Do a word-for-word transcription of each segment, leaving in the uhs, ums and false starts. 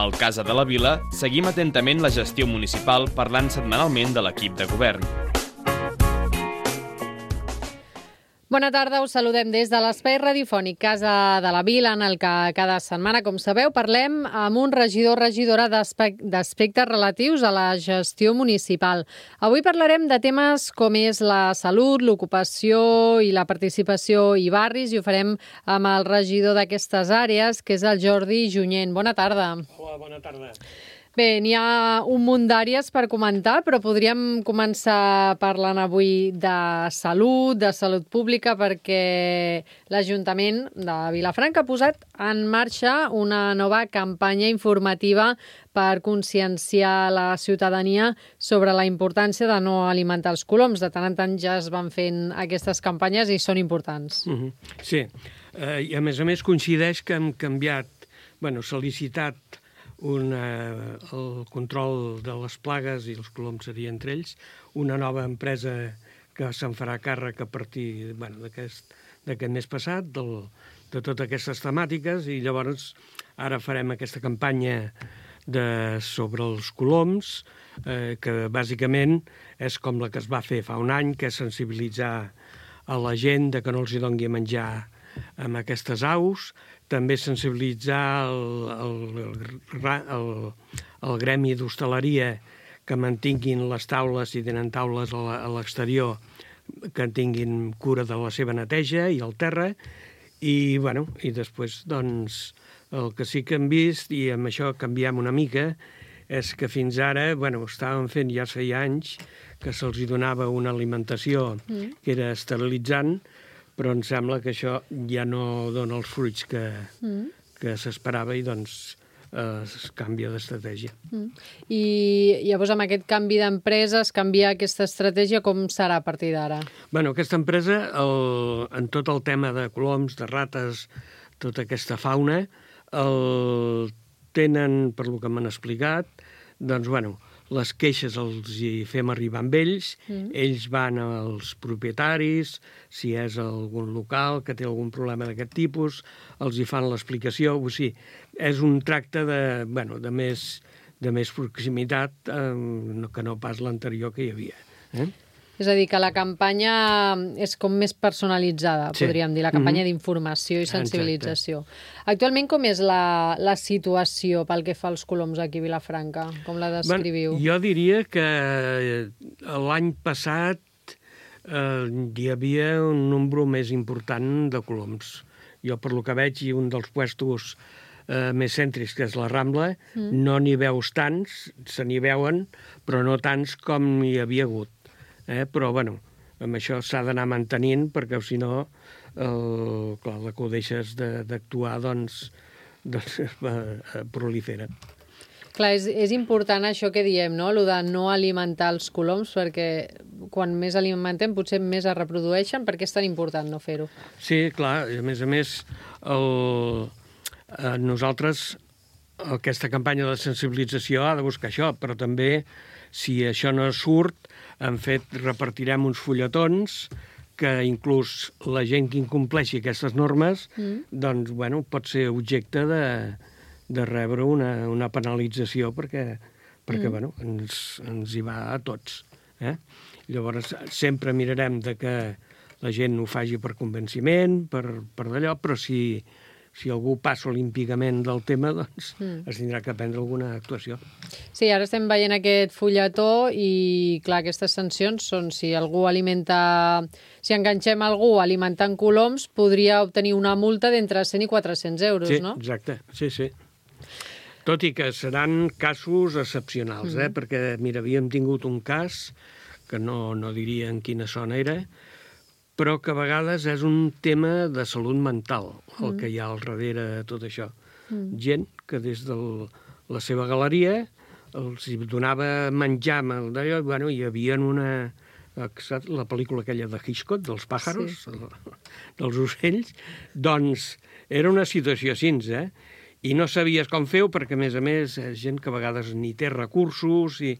Al Casa de la Vila seguim atentament la gestió municipal parlant setmanalment de l'equip de govern. Bona tarda, us saludem des de l'espai radiofònic Casa de la Vila, en el que cada setmana, com sabeu, parlem amb un regidor o regidora d'aspectes relatius a la gestió municipal. Avui parlarem de temes com és la salut, l'ocupació i la participació i barris, i ho farem amb el regidor d'aquestes àrees, que és el Jordi Junyent. Bona tarda. Hola, bona tarda. Bé, n'hi ha un munt d'àrees per comentar, però podríem començar parlant avui de salut, de salut pública, perquè l'Ajuntament de Vilafranca ha posat en marxa una nova campanya informativa per conscienciar la ciutadania sobre la importància de no alimentar els coloms. De tant en tant ja es van fent aquestes campanyes i són importants. Uh-huh. Sí, uh, i a més a més coincideix que hem canviat, bueno, s'ha licitat una, el control de les plagues, i els coloms seria entre ells, una nova empresa que se'n farà càrrec a partir bueno, d'aquest d'aquest mes passat, del, de totes aquestes temàtiques, i llavors ara farem aquesta campanya de, sobre els coloms, eh, que bàsicament és com la que es va fer fa un any, que és sensibilitzar a la gent de que no els hi doni a menjar amb aquestes aus, també sensibilitzar el, el, el, el gremi d'hostaleria que mantinguin les taules, si tenen taules a l'exterior, que tinguin cura de la seva neteja i el terra, i, bueno, i després, doncs, el que sí que hem vist, i amb això canviem una mica, és que fins ara, bueno, estàvem fent ja feia anys que se'ls donava una alimentació mm. que era esterilitzant, però em sembla que això ja no dona els fruits que, mm. que s'esperava i doncs eh, es canvia d'estratègia. Mm. I llavors amb aquest canvi d'empreses, canviar aquesta estratègia, com serà a partir d'ara? Bueno, aquesta empresa, el, en tot el tema de coloms, de rates, tota aquesta fauna, el tenen, per lo que m'han explicat, doncs, bueno, les queixes els hi fem arribar amb ells, mm. ells van als propietaris, si és algun local que té algun problema d'aquest tipus, els hi fan l'explicació, o sigui, és un tracte de, bueno, de, més, de més proximitat eh, que no pas l'anterior que hi havia. Eh? És a dir, que la campanya és com més personalitzada, sí. podríem dir, la campanya mm-hmm. d'informació i sensibilització. Exacte. Actualment, com és la, la situació pel que fa als coloms aquí a Vilafranca? Com la descriviu? Bueno, jo diria que l'any passat eh, hi havia un nombre més important de coloms. Jo, per lo que veig, i un dels puestos eh, més cèntrics, que és la Rambla, mm. no n'hi veus tants, se n'hi veuen, però no tants com hi havia hagut. Eh, però, bueno, amb això s'ha d'anar mantenint, perquè si no, el, clar, la que ho deixes d'actuar, doncs, doncs eh, prolifera. Clar, és, és important això que diem, no?, el de no alimentar els coloms, perquè quan més alimentem potser més es reprodueixen. Per què és tan important no fer-ho? Sí, clar, a més a més, el, eh, nosaltres, aquesta campanya de sensibilització ha de buscar això, però també, si això no surt, hem fet, repartirem uns fulletons que inclús la gent que incompleixi aquestes normes, mm. doncs, bueno, pot ser objecte de, de rebre una, una penalització perquè, perquè mm. bueno, ens, ens hi va a tots. Eh? Llavors, sempre mirarem de que la gent ho faci per convenciment, per, per d'allò, però si... si algú passa olímpicament del tema, doncs mm. es tindrà que prendre alguna actuació. Sí, ara estem veient aquest fulletó i, clar, aquestes sancions són si algú alimenta... Si enganxem algú alimentant coloms, podria obtenir una multa d'entre cent i quatre-cents euros, sí, no? Sí, exacte, sí, sí. Tot i que seran casos excepcionals, mm. eh? Perquè, mira, havíem tingut un cas, que no, no diria en quina zona era, però que a vegades és un tema de salut mental, el mm. que hi ha al darrere de tot això. Mm. Gent que des de la seva galeria els donava menjar amb el d'allò, bueno, hi havia una... la pel·lícula aquella de Hitchcock, dels pàjaros, sí. dels ocells, doncs era una situació així, eh? I no sabies com fer-ho, perquè, a més a més, és gent que a vegades ni té recursos i...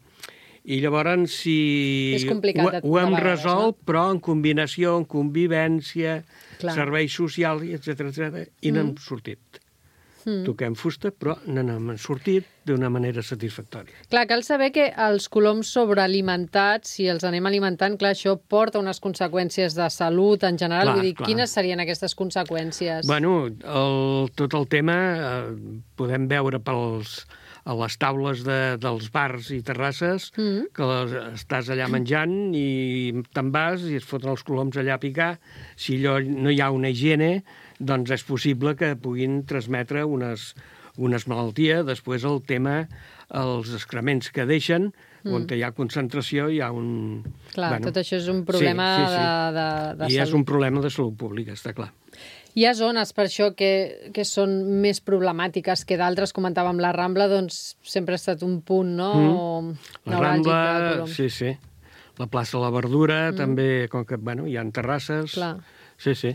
I llavors, si ho, ho hem resolt, no? Però en combinació, en convivència, Clar. serveis socials, etcètera, etcètera, i n'hem mm. sortit. mm. toquem fusta, però n'hem sortit d'una manera satisfactòria. Clar, cal saber que els coloms sobrealimentats, si els anem alimentant, clar, això porta unes conseqüències de salut en general. Clar, Vull dir, clar. quines serien aquestes conseqüències? Bueno, el, tot el tema eh, podem veure pels, a les taules de, dels bars i terrasses, mm. que les, estàs allà menjant i te'n vas i es foten els coloms allà a picar. Si allò no hi ha una higiene, doncs és possible que puguin transmetre unes, unes malalties. Després el tema, els excrements que deixen, mm. on hi ha concentració, hi ha un... Clar, bueno, tot això és un problema sí, sí, sí. de, de, de I salut. és un problema de salut pública, està clar. Hi ha zones, per això, que, que són més problemàtiques que d'altres. Comentàvem la Rambla, doncs sempre ha estat un punt, no? Mm. La Rambla, sí, sí. La plaça de la Verdura, mm. també, com que, bueno, hi ha terrasses. Clar. Sí, sí.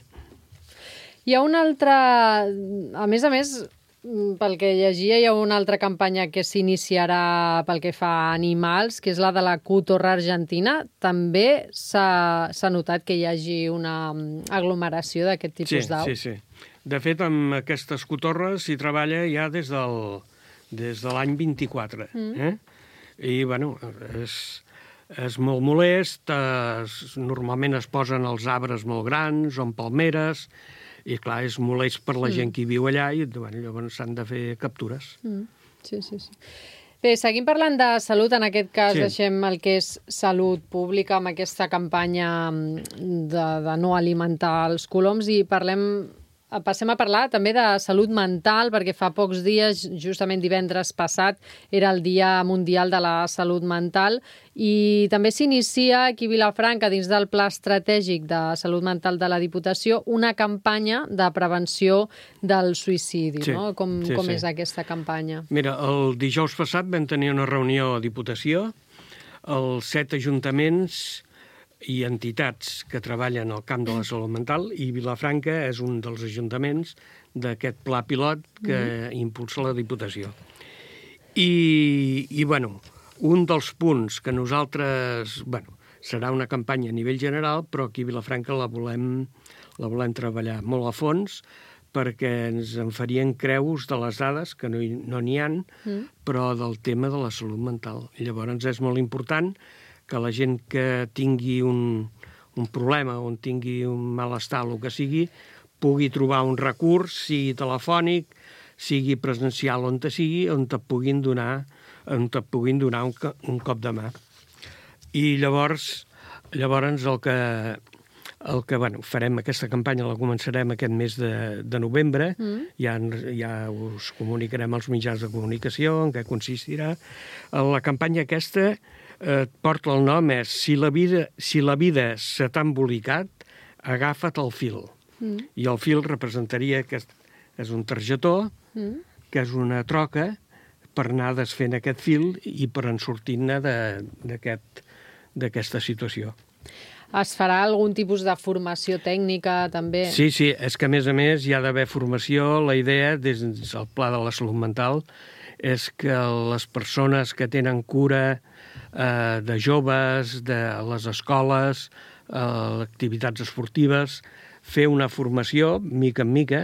Hi ha una altra... A més a més, pel que llegia, hi ha una altra campanya que s'iniciarà pel que fa a animals, que és la de la Cotorra Argentina. També s'ha notat que hi hagi una aglomeració d'aquest tipus sí, d'au? Sí, sí. De fet, amb aquestes cotorres s'hi treballa ja des, del, des de l'any vint-i-quatre. Mm. Eh? I, bueno, és, és molt molest. Es, normalment es posen els arbres molt grans, o en palmeres, i, clar, és molest per la mm. gent que hi viu allà i bueno, llavors s'han de fer captures. Mm. Sí, sí, sí. Bé, seguim parlant de salut. En aquest cas sí. deixem el que és salut pública amb aquesta campanya de, de no alimentar els coloms i parlem... Passem a parlar també de salut mental, perquè fa pocs dies, justament divendres passat, era el Dia Mundial de la Salut Mental i també s'inicia aquí a Vilafranca, dins del Pla Estratègic de Salut Mental de la Diputació, una campanya de prevenció del suïcidi. Sí, no? Com, sí, com sí. és aquesta campanya? Mira, el dijous passat vam tenir una reunió a Diputació, els set ajuntaments i entitats que treballen al camp de la salut mental, i Vilafranca és un dels ajuntaments d'aquest pla pilot que mm. impulsa la Diputació. I, i bueno, un dels punts que nosaltres... Bueno, serà una campanya a nivell general, però aquí a Vilafranca la volem, la volem treballar molt a fons, perquè ens en farien creus de les dades, que no n'hi no ha, mm. però del tema de la salut mental. Llavors és molt important que la gent que tingui un, un problema, o tingui un malestar, el que sigui, pugui trobar un recurs, sigui telefònic, sigui presencial, on te sigui, on te puguin donar, on te puguin donar un, un cop de mà. I llavors, llavors el que, el que bueno, farem aquesta campanya, la començarem aquest mes de, de novembre, mm. ja, ja us comunicarem als mitjans de comunicació en què consistirà. La campanya aquesta Eh, porta el nom, és Si la vida, si la vida se t'ha embolicat, agafa't el fil. Mm. I el fil representaria que és, és un targetó, mm. que és una troca per anar desfent aquest fil i per en sortir-ne d'aquesta aquest, situació. Es farà algun tipus de formació tècnica, també? Sí, sí, és que a més a més hi ha d'haver formació. La idea, des del Pla de la Salut Mental, és que les persones que tenen cura eh, de joves, de les escoles, eh, activitats esportives, fer una formació, mica en mica,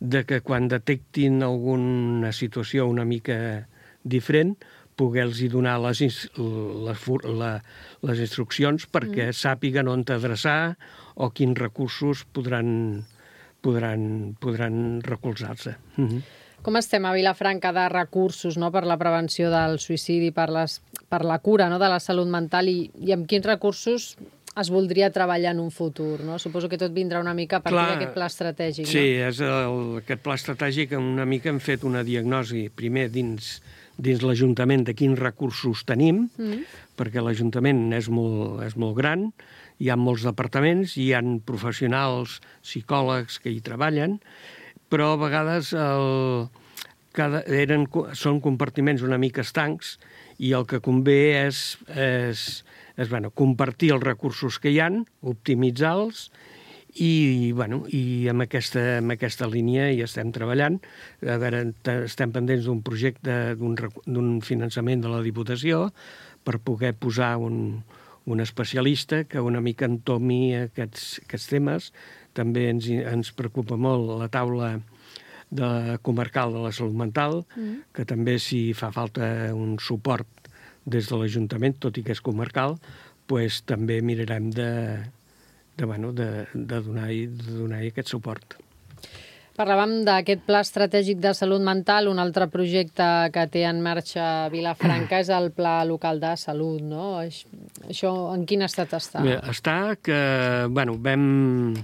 de que quan detectin alguna situació una mica diferent, poder-los donar les, les, la, les instruccions perquè mm. sàpiguen on t'adreçar o quins recursos podran, podran, podran recolzar-se. Mm-hmm. Com estem a Vilafranca de recursos, no?, per la prevenció del suïcidi, per, les, per la cura, no?, de la salut mental, i, i amb quins recursos es voldria treballar en un futur, no? Suposo que tot vindrà una mica a partir d'aquest pla estratègic, sí, no? Sí, és el, aquest pla estratègic, una mica hem fet una diagnosi, primer dins, dins l'Ajuntament de quins recursos tenim, mm. perquè l'Ajuntament és molt, és molt gran, hi ha molts departaments, hi ha professionals, psicòlegs que hi treballen, però a vegades el, cada, eren, són compartiments una mica estancs i el que convé és, és, és bueno, compartir els recursos que hi ha, optimitzar-los i, bueno, i amb, aquesta, amb aquesta línia hi estem treballant. A veure, estem pendents d'un projecte, d'un finançament de la Diputació per poder posar un, un especialista que una mica entomi aquests, aquests temes. També ens, ens preocupa molt la taula de comarcal de la salut mental, mm. que també si fa falta un suport des de l'Ajuntament, tot i que és comarcal, pues, també mirarem de, de, bueno, de, de donar-hi de donar aquest suport. Parlàvem d'aquest pla estratègic de salut mental. Un altre projecte que té en marxa Vilafranca és el Pla Local de Salut, no? Això en quin estat està? Bé, està que, bueno, vam...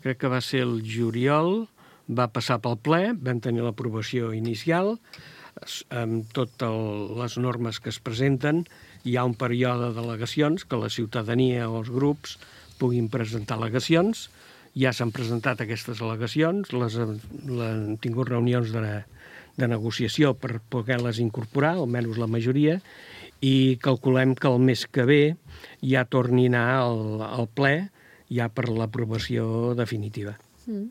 Crec que va ser el juliol, va passar pel ple, vam tenir l'aprovació inicial, amb totes les normes que es presenten. Hi ha un període d'al·legacions, que la ciutadania o els grups puguin presentar al·legacions. Ja s'han presentat aquestes al·legacions, les, les han tingut reunions de, de negociació per poder-les incorporar, almenys la majoria, i calculem que el mes que ve ja torni a anar al, al ple, ja per l'aprovació definitiva. Mm.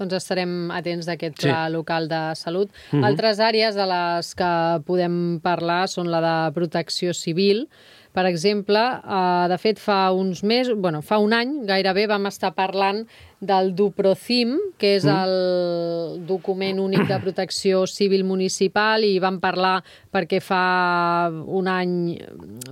Doncs estarem atents d'aquest pla sí. local de salut. Mm-hmm. Altres àrees de les que podem parlar són la de protecció civil. Per exemple, eh, de fet, fa uns mesos, bueno, fa un any gairebé vam estar parlant del DUPROCIM, que és el document únic de protecció civil municipal, i vam parlar perquè fa un any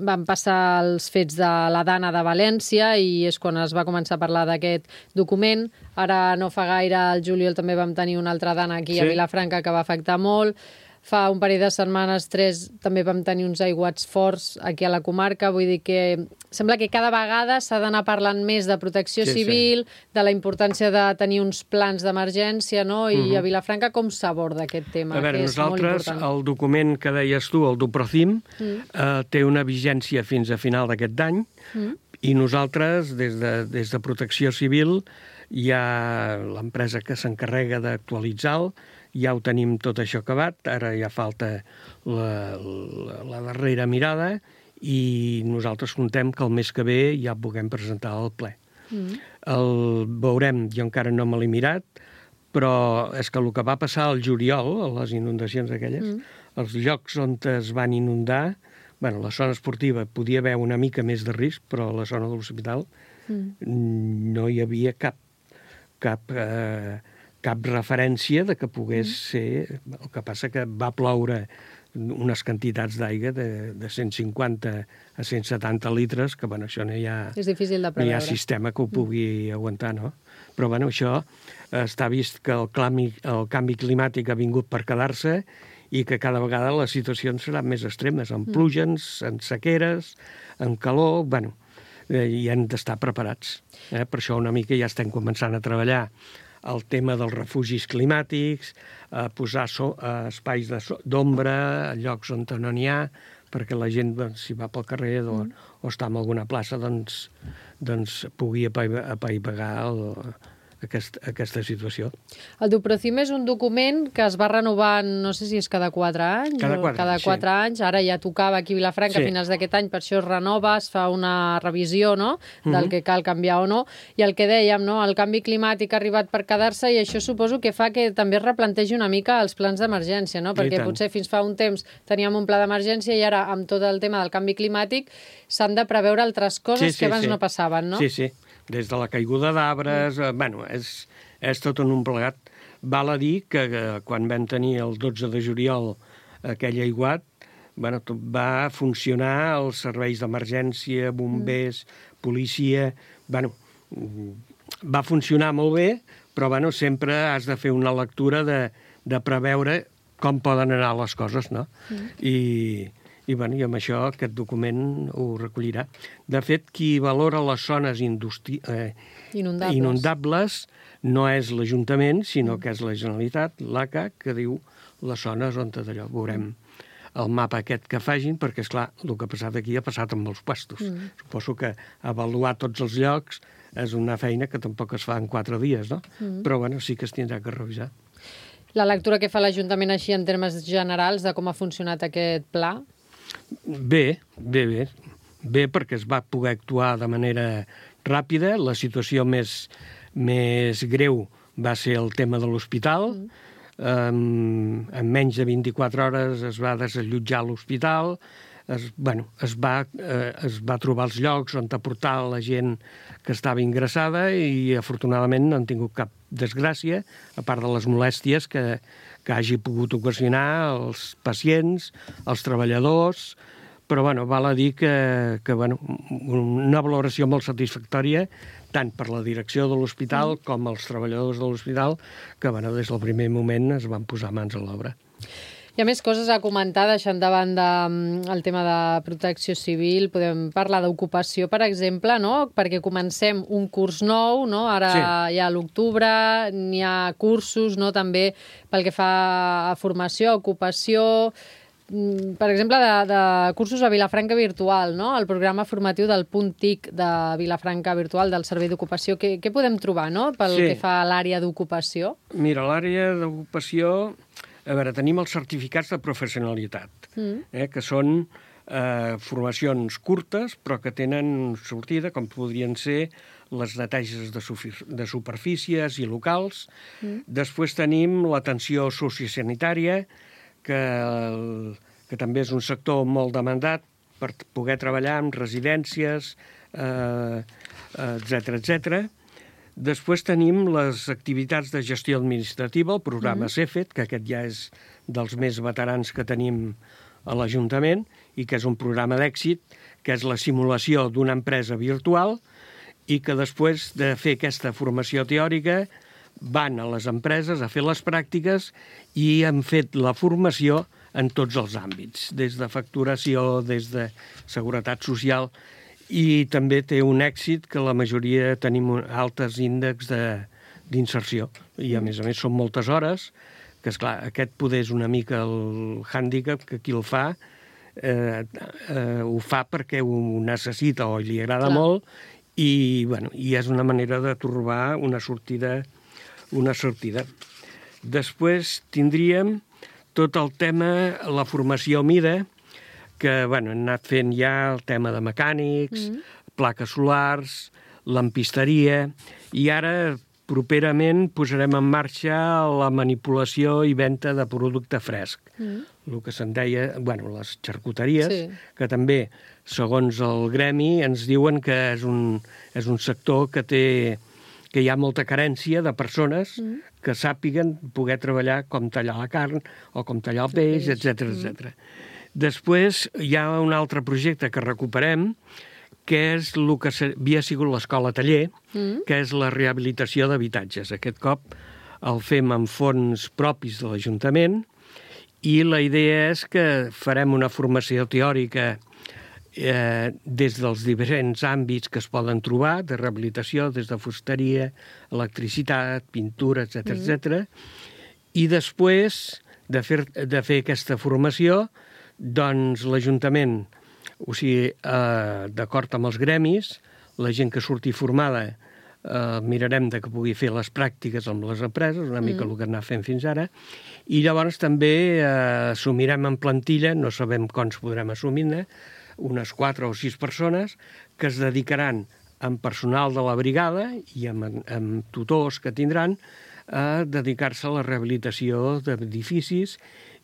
van passar els fets de la Dana de València i és quan es va començar a parlar d'aquest document. Ara no fa gaire, al juliol també vam tenir una altra Dana aquí sí. a Vilafranca que va afectar molt. Fa un parell de setmanes, tres, també vam tenir uns aiguats forts aquí a la comarca. Vull dir que sembla que cada vegada s'ha d'anar parlant més de protecció sí, civil, sí. de la importància de tenir uns plans d'emergència, no? I uh-huh. a Vilafranca com s'aborda aquest tema? A veure, que és nosaltres, el document que deies tu, el DUPROCIM, uh-huh. eh, té una vigència fins a final d'aquest any uh-huh. i nosaltres, des de, des de Protecció Civil, hi ha l'empresa que s'encarrega d'actualitzar-lo, ja ho tenim tot això acabat, ara ja falta la, la, la darrera mirada i nosaltres contem que el mes que ve ja puguem presentar al ple. Mm. El veurem, jo encara no me l'he mirat, però és que el que va passar al juliol, a les inundacions aquelles, mm. els llocs on es van inundar, bueno, la zona esportiva podia haver una mica més de risc, però a la zona de l'hospital mm. no hi havia cap cap... Eh, cap referència de que pogués ser... El que passa que va ploure unes quantitats d'aigua de, de cent cinquanta a cent setanta litres, que, bueno, això no hi ha... És difícil de preveure. No hi ha sistema que ho pugui mm. aguantar, no? Però, bueno, això està vist que el canvi, el canvi climàtic ha vingut per quedar-se i que cada vegada les situacions seran més extremes, amb pluges, en sequeres, en calor... Bueno, eh, i hem d'estar preparats. Eh? Per això una mica ja estem començant a treballar el tema dels refugis climàtics, eh, posar so, eh, espais d'ombra, llocs on no n'hi ha, perquè la gent, doncs, si va pel carrer o, o està en alguna plaça, doncs, doncs pugui apaivagar el, aquest, aquesta situació. El DUPROCIM és un document que es va renovant, no sé si és cada quatre anys cada quatre, o cada quatre sí. anys. Ara ja tocava aquí a Vilafranca sí. a finals d'aquest any, per això es renova, es fa una revisió, no?, del uh-huh. que cal canviar o no. I el que dèiem, no?, el canvi climàtic ha arribat per quedar-se i això suposo que fa que també es replantegi una mica els plans d'emergència, no? Perquè potser fins fa un temps teníem un pla d'emergència i ara, amb tot el tema del canvi climàtic, s'han de preveure altres coses sí, sí, que abans sí. no passaven, no? Sí, sí. Des de la caiguda d'arbres, eh, bueno, és, és tot en un plegat. Val a dir que eh, quan vam tenir el dotze de juliol aquell aiguat, bueno, tot va funcionar els serveis d'emergència, bombers, mm. policia... Bueno, va funcionar molt bé, però bueno, sempre has de fer una lectura de, de preveure com poden anar les coses, no? Mm. I... I, bueno, i amb això aquest document ho recollirà. De fet, qui valora les zones industri... eh, inundables. inundables no és l'Ajuntament, sinó que és la Generalitat, l'A C A, que diu les zones on d'allò. Veurem el mapa aquest que facin, perquè, esclar, el que ha passat aquí ha passat amb els puestos. Mm. Suposo que avaluar tots els llocs és una feina que tampoc es fa en quatre dies, no? Mm. Però, bueno, sí que es tindrà que revisar. La lectura que fa l'Ajuntament així en termes generals de com ha funcionat aquest pla? Bé, bé, bé. Bé, perquè es va poder actuar de manera ràpida. La situació més, més greu va ser el tema de l'hospital. Mm. Um, en menys de vint-i-quatre hores es va desallotjar l'hospital. es, bueno, es, va, eh, es va trobar els llocs on aportar la gent que estava ingressada i afortunadament no han tingut cap desgràcia, a part de les molèsties que, que hagi pogut ocasionar als pacients, als treballadors, però bueno, val a dir que, que bueno, una valoració molt satisfactòria tant per la direcció de l'hospital mm. com els treballadors de l'hospital, que bueno, des del primer moment es van posar mans a l'obra. Hi ha més coses a comentar, deixant de banda el tema de protecció civil. Podem parlar d'ocupació, per exemple, no? Perquè comencem un curs nou, no? Ara sí. Hi ha l'octubre, n'hi ha cursos, no? També pel que fa a formació, a ocupació, per exemple, de, de cursos a Vilafranca Virtual, no? El programa formatiu del Punt T I C de Vilafranca Virtual, del Servei d'Ocupació. Què, què podem trobar, no? Pel sí. que fa a l'àrea d'ocupació? Mira, l'àrea d'ocupació... A veure, tenim els certificats de professionalitat, mm. eh, que són eh, formacions curtes, però que tenen sortida, com podrien ser les neteges de, de superfícies i locals. Mm. Després tenim l'atenció sociosanitària, que, el, que també és un sector molt demandat per poder treballar en residències, eh, etcètera, etcètera. Després tenim les activitats de gestió administrativa, el programa mm. CEFET, que aquest ja és dels més veterans que tenim a l'Ajuntament i que és un programa d'èxit, que és la simulació d'una empresa virtual i que després de fer aquesta formació teòrica van a les empreses a fer les pràctiques i han fet la formació en tots els àmbits, des de facturació, des de seguretat social. I també té un èxit que la majoria tenim altes índexs d'inserció. I, a més a més, són moltes hores, que, esclar, aquest poder és una mica el hàndicap, que qui el fa eh, eh, ho fa perquè ho necessita o li agrada Clar. molt i, bueno, i és una manera de trobar una sortida. Una sortida. Després tindríem tot el tema, la formació MIDA, que bueno, hem anat fent ja el tema de mecànics, mm. plaques solars, lampisteria, i ara properament posarem en marxa la manipulació i venda de producte fresc. Mm. El que se'n deia, bueno, les xarcuteries, sí. que també, segons el gremi, ens diuen que és un, és un sector que té que hi ha molta carència de persones mm. que sàpiguen poder treballar com tallar la carn o com tallar el peix, etcètera, mm. etcètera. Després hi ha un altre projecte que recuperem, que és el que havia sigut l'escola taller, mm. que és la rehabilitació d'habitatges. Aquest cop el fem amb fons propis de l'Ajuntament i la idea és que farem una formació teòrica eh, des dels diferents àmbits que es poden trobar, de rehabilitació, des de fusteria, electricitat, pintura, etcètera, mm. etcètera. I després de fer, de fer aquesta formació, doncs l'Ajuntament, o sigui, eh, d'acord amb els gremis, la gent que surti formada, eh, mirarem de que pugui fer les pràctiques amb les empreses, una mica mm. el que anar fent fins ara, i llavors també eh, assumirem en plantilla, no sabem quants podrem assumir-ne, unes quatre o sis persones que es dedicaran amb personal de la brigada i amb, amb tutors que tindran a dedicar-se a la rehabilitació d'edificis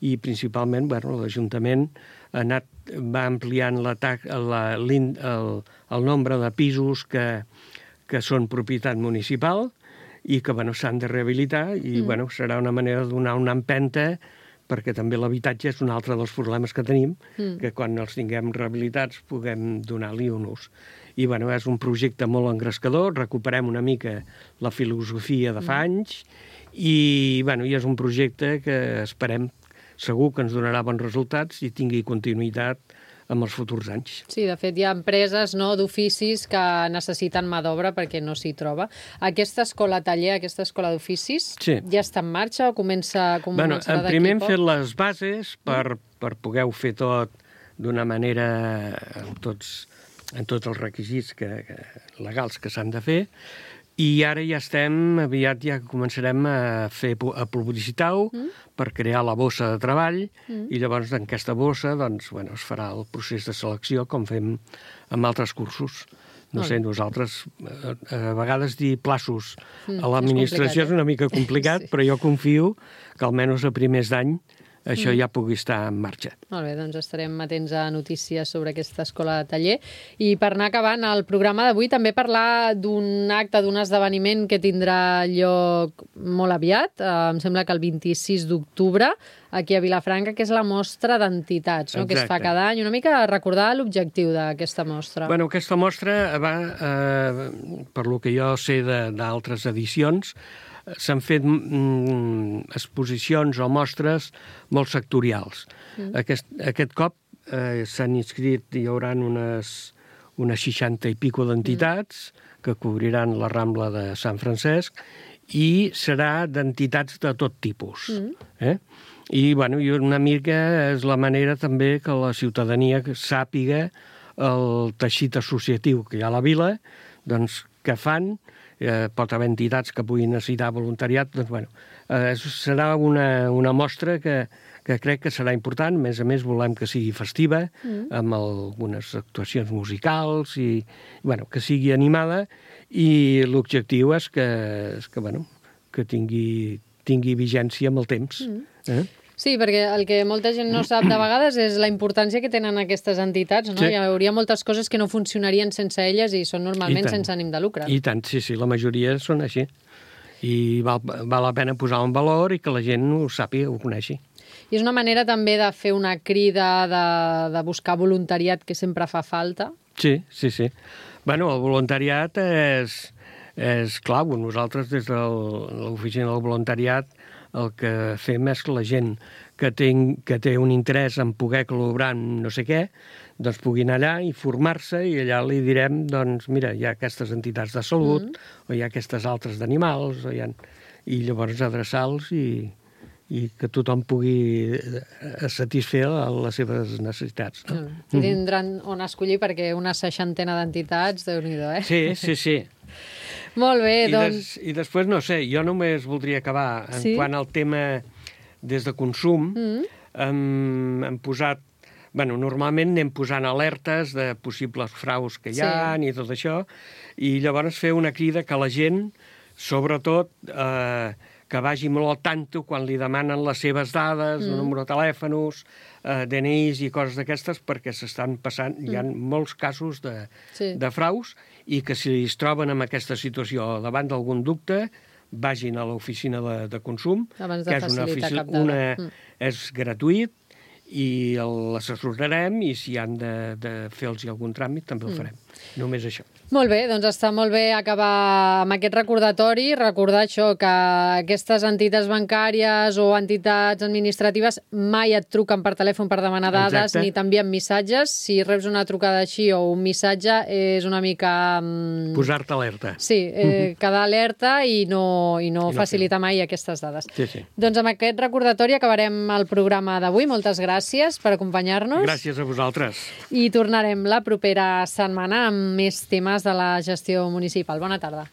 i principalment bueno, l'Ajuntament ha anat, va ampliant la, la, el, el nombre de pisos que, que són propietat municipal i que bueno, s'han de rehabilitar i mm. bueno, serà una manera de donar una empenta perquè també l'habitatge és un altre dels problemes que tenim, mm. que quan els tinguem rehabilitats puguem donar-li un ús. I bueno, és un projecte molt engrescador, recuperem una mica la filosofia de fa mm. anys i, bueno, i és un projecte que esperem segur que ens donarà bons resultats i tingui continuïtat amb els futurs anys. Sí, de fet, hi ha empreses no, d'oficis que necessiten mà d'obra perquè no s'hi troba. Aquesta escola taller, aquesta escola d'oficis, sí. ja està en marxa o comença, començarà bueno, d'aquí primer hem poc? Fet les bases per, per poder fer tot d'una manera amb tots, amb tots els requisits que, que, legals que s'han de fer. I ara ja estem, aviat ja començarem a fer a publicitar-ho mm. per crear la bossa de treball mm. i llavors en aquesta bossa doncs, bueno, es farà el procés de selecció com fem amb altres cursos. No oh. sé, nosaltres a vegades dir plaços mm, a l'administració és, és una mica complicat, sí. però jo confio que almenys a primers d'any això mm. ja pugui estar en marxa. Molt bé, doncs estarem atents a notícies sobre aquesta escola de taller. I per anar acabant el programa d'avui, també parlar d'un acte, d'un esdeveniment que tindrà lloc molt aviat, eh, em sembla que el vint-i-sis d'octubre, aquí a Vilafranca, que és la mostra d'entitats, no? Que es fa cada any. Una mica recordar l'objectiu d'aquesta mostra. Bueno, aquesta mostra va, eh, per lo que jo sé d'altres edicions, s'han fet mm, exposicions o mostres molt sectorials. Mm. Aquest, aquest cop eh, s'han inscrit, hi haurà unes, unes seixanta i pico d'entitats mm. que cobriran la Rambla de Sant Francesc i serà d'entitats de tot tipus. Mm. Eh? I, bueno, i una mica és la manera també que la ciutadania sàpiga el teixit associatiu que hi ha a la vila, doncs, que fan. Eh, pot haver entitats que puguin necessitar voluntariat, doncs, bueno, eh, serà una, una mostra que, que crec que serà important. A més a més, volem que sigui festiva, mm. amb algunes actuacions musicals, i, bueno, que sigui animada, i l'objectiu és que, és que, bueno, que tingui, tingui vigència amb el temps. Mm. Eh? Sí, perquè el que molta gent no sap de vegades és la importància que tenen aquestes entitats, no? Sí. Hi hauria moltes coses que no funcionarien sense elles i són normalment sense ànim de lucre. I tant, sí, sí, la majoria són així. I val, val la pena posar en valor i que la gent ho sàpiga, ho coneixi. I és una manera també de fer una crida, de, de buscar voluntariat que sempre fa falta? Sí, sí, sí. Bueno, el voluntariat és, és clau. Nosaltres, des de l'oficina del voluntariat, el que fem és que la gent que té, que té un interès en poder col·laborar en no sé què, doncs pugui anar allà i formar-se, i allà li direm, doncs mira, hi ha aquestes entitats de salut, mm. o hi ha aquestes altres d'animals, o hi ha... i llavors adreçar-los i, i que tothom pugui satisfer les seves necessitats. No? Mm. I tindran on escollir, perquè una seixantena d'entitats, Déu-n'hi-do, eh? Sí, sí, sí. Molt bé, I doncs... Des, I després, no sé, jo només voldria acabar en sí? quant al tema des de consum. Mm. Hem, hem posat... Bueno, normalment anem posant alertes de possibles fraus que hi ha sí. i tot això, i llavors fer una crida que la gent, sobretot, eh, que vagi molt al tanto quan li demanen les seves dades, mm. el número de telèfons, eh, D N Is i coses d'aquestes, perquè s'estan passant, mm. hi ha molts casos de, sí. de fraus, i que si es troben en aquesta situació davant d'algun dubte, vagin a l'oficina de, de consum, abans de que és una, oficina, una mm. és gratuït, i l'assessorarem, i si han de, de fer-los algun tràmit també el farem. Mm. Només això. Molt bé, doncs està molt bé acabar amb aquest recordatori, recordar això, que aquestes entitats bancàries o entitats administratives mai et truquen per telèfon per demanar dades. Exacte. Ni t'envien missatges. Si reps una trucada així o un missatge, és una mica... Posar-te alerta. Sí, eh, quedar alerta i no, i no, I no facilitar mai aquestes dades. Sí, sí. Doncs amb aquest recordatori acabarem el programa d'avui. Moltes gràcies per acompanyar-nos. Gràcies a vosaltres. I tornarem la propera setmana amb més temes de la gestió municipal. Bona tarda.